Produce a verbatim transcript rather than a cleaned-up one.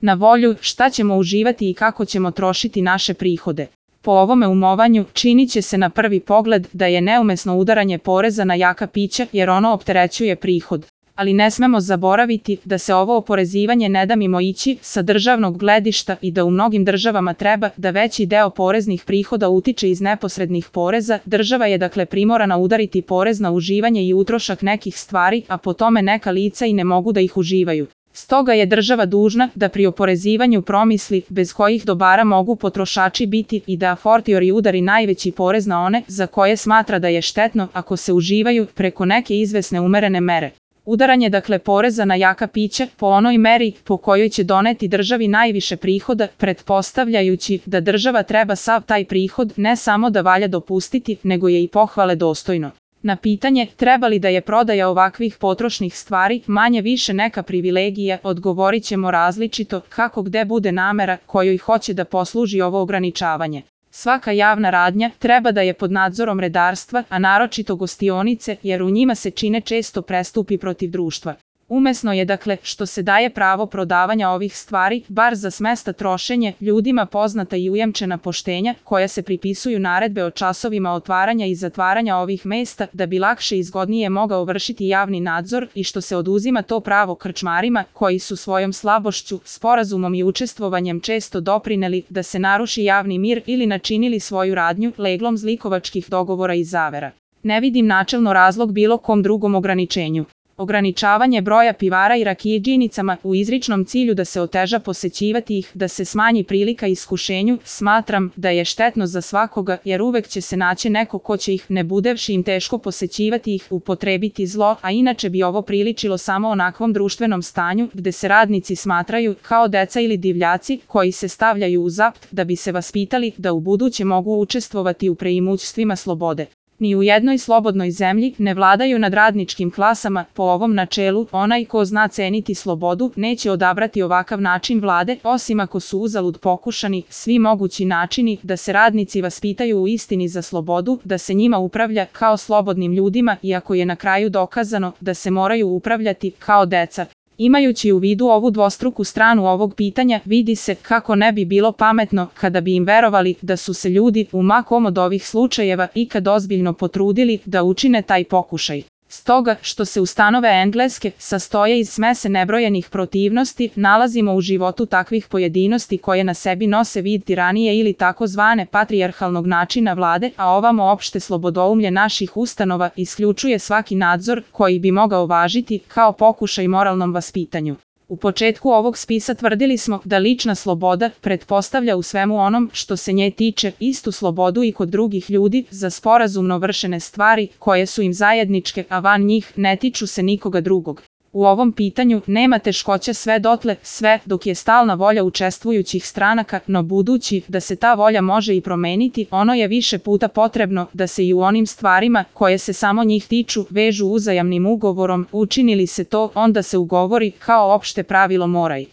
na volju šta ćemo uživati i kako ćemo trošiti naše prihode. Po ovome umovanju, činit će se na prvi pogled da je neumesno udaranje poreza na jaka pića jer ono opterećuje prihod. Ali ne smemo zaboraviti da se ovo oporezivanje ne da mimo ići sa državnog gledišta i da u mnogim državama treba da veći deo poreznih prihoda utiče iz neposrednih poreza. Država je dakle primorana udariti porez na uživanje i utrošak nekih stvari, a po tome neka lica i ne mogu da ih uživaju. Stoga je država dužna da pri oporezivanju promisli bez kojih dobara mogu potrošači biti i da a fortiori udari najveći porez na one za koje smatra da je štetno ako se uživaju preko neke izvesne umerene mere. Udaranje dakle poreza na jaka pića po onoj meri po kojoj će doneti državi najviše prihoda, pretpostavljajući da država treba sav taj prihod ne samo da valja dopustiti, nego je i pohvale dostojno. Na pitanje treba li da je prodaja ovakvih potrošnih stvari manje više neka privilegija, odgovorit ćemo različito kako gde bude namera kojoj hoće da posluži ovo ograničavanje. Svaka javna radnja treba da je pod nadzorom redarstva, a naročito gostionice, jer u njima se čine često prestupi protiv društva. Umesno je dakle što se daje pravo prodavanja ovih stvari, bar za smesta trošenje, ljudima poznata i ujamčena poštenja, koja se pripisuju naredbe o časovima otvaranja i zatvaranja ovih mesta, da bi lakše i zgodnije mogao vršiti javni nadzor i što se oduzima to pravo krčmarima, koji su svojom slabošću, sporazumom i učestvovanjem često doprineli da se naruši javni mir ili načinili svoju radnju leglom zlikovačkih dogovora i zavera. Ne vidim načelno razlog bilo kom drugom ograničenju. Ograničavanje broja pivara i rakijidžinicama u izričnom cilju da se oteža posećivati ih, da se smanji prilika iskušenju, smatram da je štetno za svakoga jer uvek će se naći neko ko će ih, ne budevši im teško posećivati ih, upotrebiti zlo, a inače bi ovo priličilo samo onakvom društvenom stanju gde se radnici smatraju kao deca ili divljaci koji se stavljaju u zapt da bi se vaspitali da u buduće mogu učestvovati u preimućstvima slobode. Ni u jednoj slobodnoj zemlji ne vladaju nad radničkim klasama po ovom načelu, onaj ko zna ceniti slobodu neće odabrati ovakav način vlade, osim ako su uzalud pokušani svi mogući načini da se radnici vaspitaju u istini za slobodu, da se njima upravlja kao slobodnim ljudima iako je na kraju dokazano da se moraju upravljati kao deca. Imajući u vidu ovu dvostruku stranu ovog pitanja, vidi se kako ne bi bilo pametno kada bi im verovali da su se ljudi u ma kom od ovih slučajeva ikad ozbiljno potrudili da učine taj pokušaj. Stoga, što se ustanove engleske sastoje iz smese nebrojenih protivnosti, nalazimo u životu takvih pojedinosti koje na sebi nose vid tiranije ili takozvane patrijarhalnog načina vlade, a ovamo opšte slobodoumlje naših ustanova isključuje svaki nadzor koji bi mogao važiti kao pokušaj moralnom vaspitanju. U početku ovog spisa tvrdili smo da lična sloboda pretpostavlja u svemu onom što se nje tiče istu slobodu i kod drugih ljudi za sporazumno vršene stvari koje su im zajedničke, a van njih ne tiču se nikoga drugog. U ovom pitanju nema teškoća sve dotle, sve dok je stalna volja učestvujućih stranaka, no budući da se ta volja može i promeniti, ono je više puta potrebno da se i u onim stvarima koje se samo njih tiču vežu uzajamnim ugovorom, učini li se to, onda se ugovori kao opšte pravilo moraj.